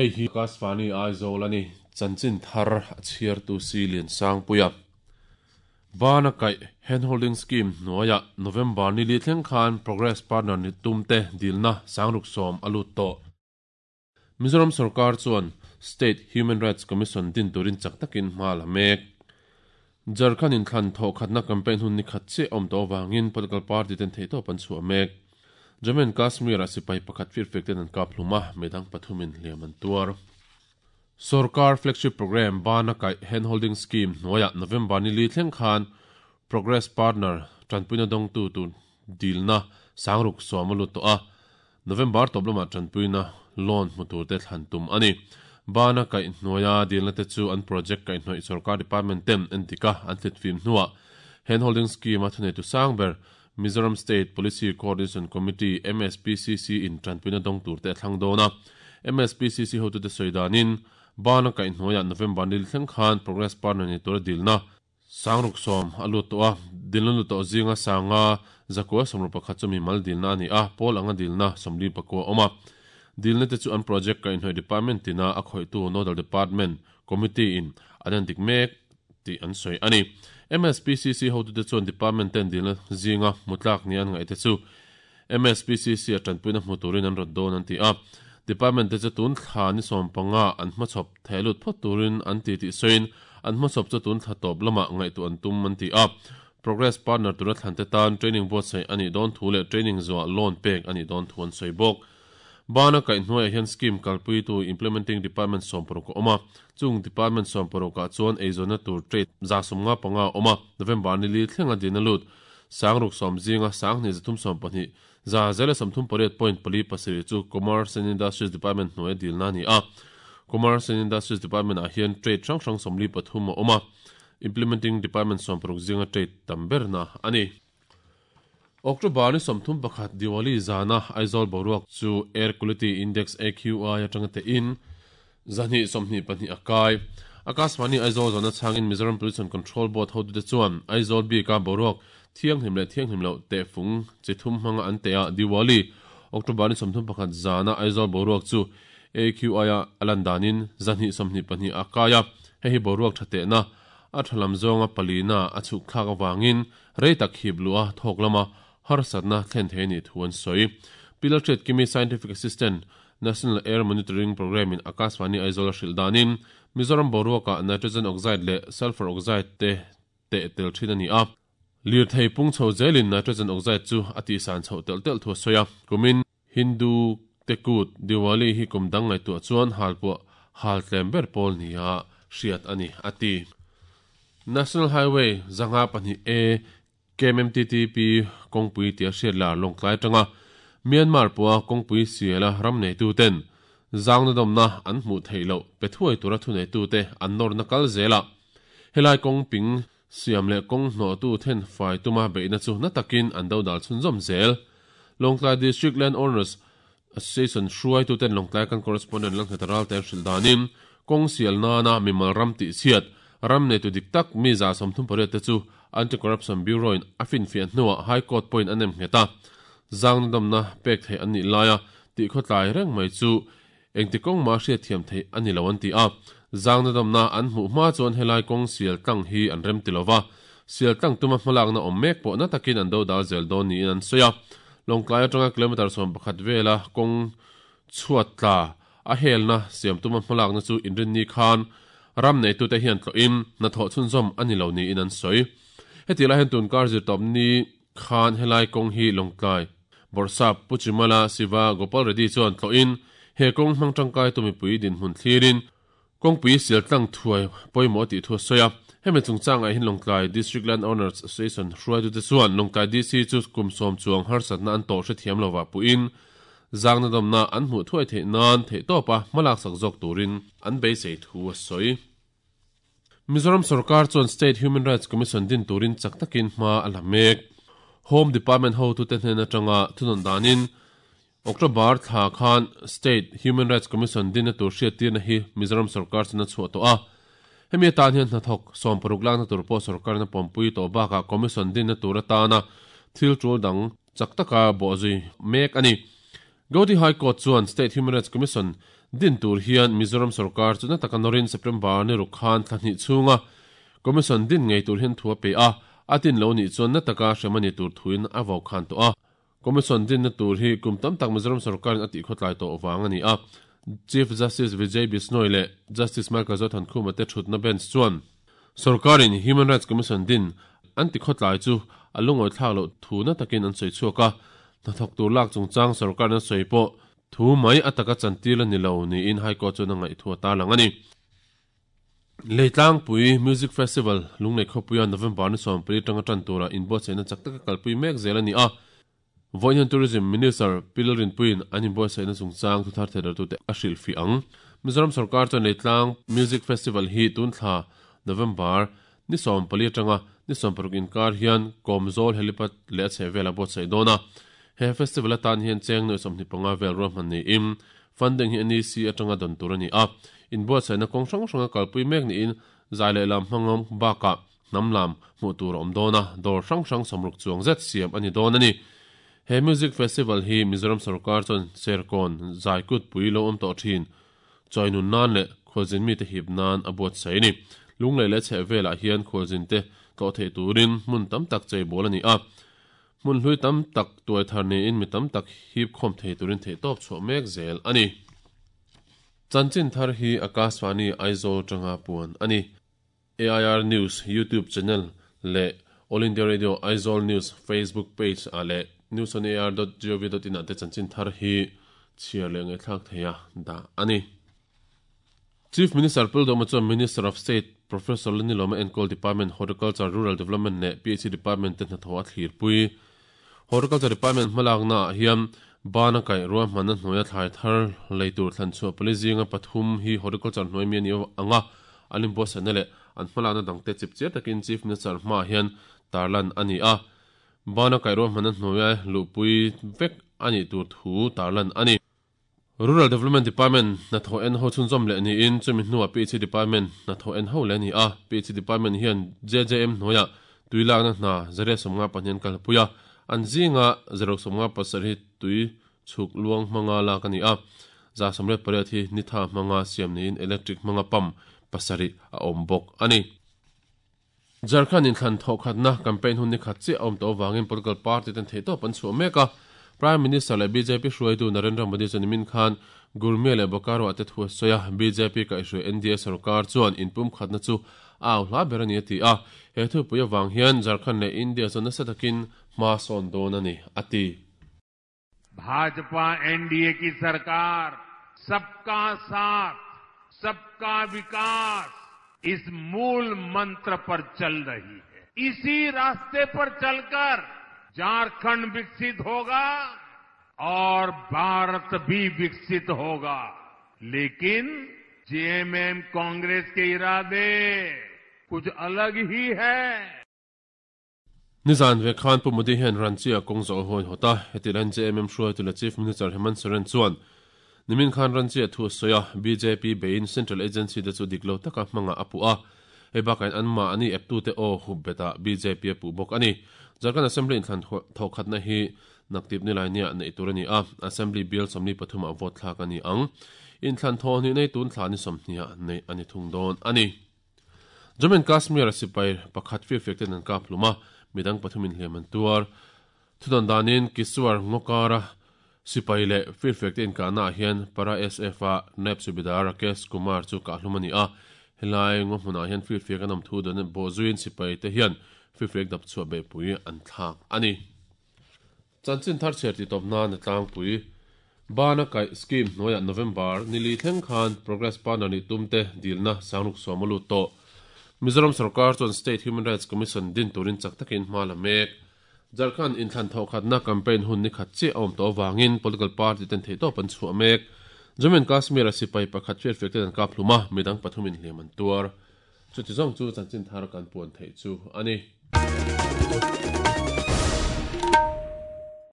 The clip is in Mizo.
Hei hi Akashvani Aizawl a ni. Chanchin thar a chhiartu si Liansangpuia. Bana kaih Handholding Scheme hnuaiah November ni li thleng khan Progress Partner ni tumte dilna sangruk sawm a lut tawh. Mizoram sorkar chuan State Human Rights Commission din turin chak takin hma la mek. Jharkhand inthlan thawhkhatna campaign hun ni khat chiah awm tawh avangin political party ten theihtawp an chhuah mek. Jammu and Kashmir-ah sipai pakhat firfek ten an kap hlum a, midang pathumin hliam an tuar. Sorkar flagship programme bana kaih Handholding Scheme hnuaiah November ni li thleng khan Progress Partner tanpuina dawngtu tur dilna sangruk sawm a lut tawh a, November tawp lamah tanpuina loan hmu turte thlan tum a ni. Bana kaih hnuaia dilna te chu an project kaihhnawih sorkar department ten endik a an hlitfim hnuah Handholding Scheme a thuneitu sang ber Mizoram State Policy Coordination Committee, MSPCC, in tanpuina dawng turte a thlang dawn a. MSPCC hotute sawi danin, Bana kaihhnuaiah November nil thleng khan Progress Partner ni tura dilna Sangruk sawm a lut tawh a, dilna lut tawh zinga sanga zakua sawmruk pakhat chu mimal dilna a ni a, pawl anga dilna sawmli pakua a awm a. Dilna te chu an project kaihhnawih department tina a khawihtu Nodal Department Committee in an endik mek tih an sawi a ni. MSPCC hotute chuan department ten dilna zinga hmu tlak nia an ngaih te chu MSPCC a tanpuina hmu turin an rawt dawn an ti a. Department te chu tun thla ni sawmpanga an hmachhawp theh lut phawt turin an ti tih sawiin an hmachhawp chu tun thla tawp lamah ngaihtuah an tum an ti a. Progress partner tura thlan te tan training buatsaih a nih dawn thu leh training zuah loan pek a nih dawn thu an sawi bawk. Bana kaihhnuaiah hian scheme kalpuitu implementing department 60 a awm a, chung department 60 ah chuan eizawnna tur trade 155 a awm a, November ni li thlenga dina lut sangruk sawm zinga sanghnih zathum sawmpahnih za zela sawmthum pariat point pali pasarih chu Commerce and Industries Department hnuaia dilna a ni a. Commerce and Industries Department ah hian trade hrang hrang 43 a awm a, implementing department 60 zinga trade tam berna a ni. October ni 31 Diwali zana Aizawl boruak chu Air Quality Index, AQI, atanga tehin 222 a kai. Akashvani Aizawl zana chhangin Mizoram Pollution Control Board hotute chuan Aizawl bika boruak thianghlim leh thianghlim loh tehfung chi thum hmanga an teh a, Diwali, October ni 31 zana Aizawl boruak chu AQI a a lan danin 222 a kai a, hei hi boruak tha tehna a tha lam zawnga palina a chhuk thlak avangin Rei tak hip luh a thawk lama harsatna thlen thei a nih thu an sawi. Pi Lalhriat Kimi Scientific Assistant, National Air Monitoring Programme in Akashvani Aizawl a hrilh danin Mizoram boruakah Nitrogen Oxide leh Sulphur Oxide te teh tel thin a ni a. Lirthei pung chho zelin Nitrogen Oxide chu a tihsan chhoh telh telh thu a sawi a. Kumin Hindu te kut Diwali hi kum dang ngaihtuah chuan halpuah hal tlem ber pawl nia hriat a ni, a ti. National Highway 52 A KMMTTP kawngpui tia hriat lar Lawngtlai atanga Myanmar pawha kawngpui siala ram neituten zangna dawmna an hmuh theih loh pe thuai tura thuneitute an nawrna kal zelah helai kawng ping Siam leh kawng hnawhtu then fai tuma beihna chu na takin an dodal chhunzawm zel. Lawngtlai District Land Owners Association hruaituten Lawngtlai kan correspondent Lalnghet Ralte an hrilh danin, kawng sial nana mimal ram tihchhiat, ram neitu dik tak mi 38 te chu Anti-Corruption Bureau-in a finfiah hnuah High Court pawhin a nem nghet a. Zangna dawmna pek theih an nih laia tihkhawtlai reng mai chu Engti kawng mah hriatthiam theih a ni lo an ti a, zangna damna an hmuh hma chuan helai kawng sial tlang hi an rem ti lova, sial tlang tuma hmalakna awm mek pawh na takin an do dal zel dawn niin an sawi a. Lawngtlai atanga kilometre 11 vela kawng chhuat tla a helna siam tuma hmalakna chu inrinni khan ram neitute hian tlawhin hnathawh chhunzawm a ni lo niin an sawi. Heti lai hian tunkar zirtawpni khan helai kawng hi Lawngtlai Bawrhsap Pu Chimala Siva Gopal Reddy chuan tlawhin he kawng hmang tangkai tu mipui dinhmun thlirin kawngpui sial tlang thuai pawimawh tih thu a sawi a. Hemi chungchangah hian Lawngtlai District Land Owners Association hruaitute chuan Lawngtlai DC chu kum sawm chuang harsatna an tawh hrethiam lovah puhin zangna dawmna an hmuh thuai theih nan theihtawpa hmalaksak zawk turin an beisei thu a sawi. Mizoram sorkar chuan State Human Rights Commission din turin chak takin hma a la mek. Home Department hotute hnen atanga thunawn danin October thla khan State Human Rights Commission dinna tur hriattirna hi Mizoram sorkar chuan a chhuah tawh a. Hemi atan hian hnathawk 60 lakna tur pawh sorkarin a pawmpui tawh bakah Commission dinna tur atana thil tul dang chak taka bawhzui mek a ni. Gauhati High Court chuan State Human Rights Commission din tur hian Mizoram sorkar chu na taka nawrin September ni ruk khan thla hnih chhunga Commission din ngei tur hian thu a pe a, a din lo nih chuan na taka hrem a ni tur thuin a vau khan tawh a. Commission dinna tur hi kum tam tak Mizoram sorkarin a tihkhawtlai tawh vang a ni a. Chief Justice Vijay Bishnoi leh Justice Michael Zothankhuma te thutna bench chuan sorkarin Human Rights Commission din an tikhawtlai chu a lungawithlak loh thu na takin an sawi chhuak a, hnathawk tur lak chungchang sorkarin a sawi pawh thu mai a taka chantir a ni lo niin High Court chuan a ngaih thu a tarlang a ni. Leitlangpui Music Festival Lunglei khawpuia November ni 14 atanga tan tura inbuatsaihna chak taka kalpui mek zel a ni a. Vawiin hian Tourism Minister Pi Lalrinpuiin an inbuatsaihna chungchang thuthar theihdartute a hrilhfih ang. Mizoram sorkar chuan Leitlang Music Festival hi tun thla November ni 14 atanga ni 16 inkar hian Kawmzawl Helipad leh a chhehvelah buatsaih dawn a. He festival atan hian cheng nuai 25 vel ruahman niin Funding hi NEC atanga dawn tur a ni a, inbuatsaihna kawng hrang hranga kalpui mek niin zai leh lam hmangawm bakah hnam lam hmuh tur a awm dawn a, dawr hrang hrang sawmruk chuang zet siam a ni dawn a ni. He Music Festival hi Mizoram sorkar chuan Serkawn zai kutpui lo awm tawh thin chawinun nan leh khualzin mite hip nan a buatsaih a ni. Lunglei leh chheh velah hian khualzinte tlawh theih turin hmun tam tak cheibawl a ni a. Hmun hlui tam tak tuai thar niin mi tam tak hip khawm thei turin theihtawp chhuah mek zel a ni. Chanchin thar hi Akashvani Aizawl tanga puan a ni. AIR News YouTube channel leh All India Radio Aizawl News Facebook page ah leh newsonair.gov.in ah te chanchin thar hi chhiar leh ngaihthlak theia dah a ni. Chief Minister Pildawma chuan Minister of State Professor Lanilawma enkawl Department Horticulture, Rural Development leh PHE Department te hnathawh a thlirpui. Horticulture Department hmalakna ah hian bana kaih ruahmanna hnuaia thlai thar lei tur thlan chhuah pali zinga pathum hi Horticulture hnuai mi a ni ang a, an inbuatsaihna leh an hmalakna dangte chipchiar takin Chief Minister hmaah hian tarlan a ni a. Bana kaih ruahmanna hnuaia luhpui vek a nih tur thu tarlan a ni. Rural Development Department hnathawh en ho chhunzawm leh niin chumi hnuah PHE Department hnathawh en ho leh a ni a. PHE Department hian JJM hnuaiah tui lakna hna zariat 55 an kalpui a, an zinga zaruk 57 hi tui chhuk luang hmanga lak a ni a. 188 hi nitha hmanga siam niin electric hmanga pump pasarih a awm bawk a ni. Jharkhand inthlan thawhkhatna campaign hun ni khat chiah a awm tawh avangin political party ten theihtawp an chhuah mek a. Prime Minister leh bjp hruaitu Narendra Modi chuan nimin khan Gurmia leh Bokaro ah te thu a sawi a, bjp kaihhruai NDA sorkar chuan inpumkhatna chu a au hla ber a ni a ti a. He thupui avang hian Jharkhand leh India chuan nasa takin hma sawn dawn a ni, a ti. Bhajpa NDA ki sarkar sabka saath, sabka vikas is mool mantra par chal rahi hai. Isi raaste par chalkar Jharkhand viksit hoga aur Bharat bhi viksit hoga. Lekin JMM Congress ke iraade kuch alag hi hai. Nizan ve khan Pu Modi hian Ranchi-a kawng zawh a hawi hawt a, heti lain JMM hruaitu leh Chief Minister Hemant Soren chuan nimin khan Ranchi-a thu a sawi a, bjp beiin Central Agency te chu dik lo taka hmangah a puh a, hei bakah in anmahni eptute aw hup betah bjp a puh bawk a ni. Jharkhand Assembly inthlan thawhkhatna hi naktip nilai niah neih tur a ni a, Assembly bial 43 ah vote thlak a ni ang. Inthlan thawhhnih nei tun thla ni 20 ah neih a ni thung dawn a ni. Jammu and Kashmir-a sipai pakhat firfiak ten an kap hlum a, midang pathumin hliam an tuar. Thudawn danin Kiswar Ngawkara sipai leh firfiak te inkahnaah hian Para SF-a Naib Subedar Rakesh Kumar chu kah hlum a ni a. Helai ngaw hmunah hian firfiak an awm thu dawn bawhzuiin sipai te hian firfiak dap chhuah beihpui an thlak a ni. Chanchin thar chhiar tih tawp nan a tlangpui. Bana kaih scheme hnuaiah November ni li thleng khan Progress Partner nih tumte dilna sangruk sawm a lut tawh. Mizoram sorkar chuan State Human Rights Commission din turin chak takin hma la mek. Jharkhand inthlan thawhkhatna campaign hun ni khat chiah a awm tawh avangin political party ten theihtawp an chhuah mek. Jammu and Kashmir-a sipai pakhat hriatfiak ten an kap hlum a, midang pathumin hliam an tuar. Chuti zawng chu chanchin thar kan puan theih chu a ni.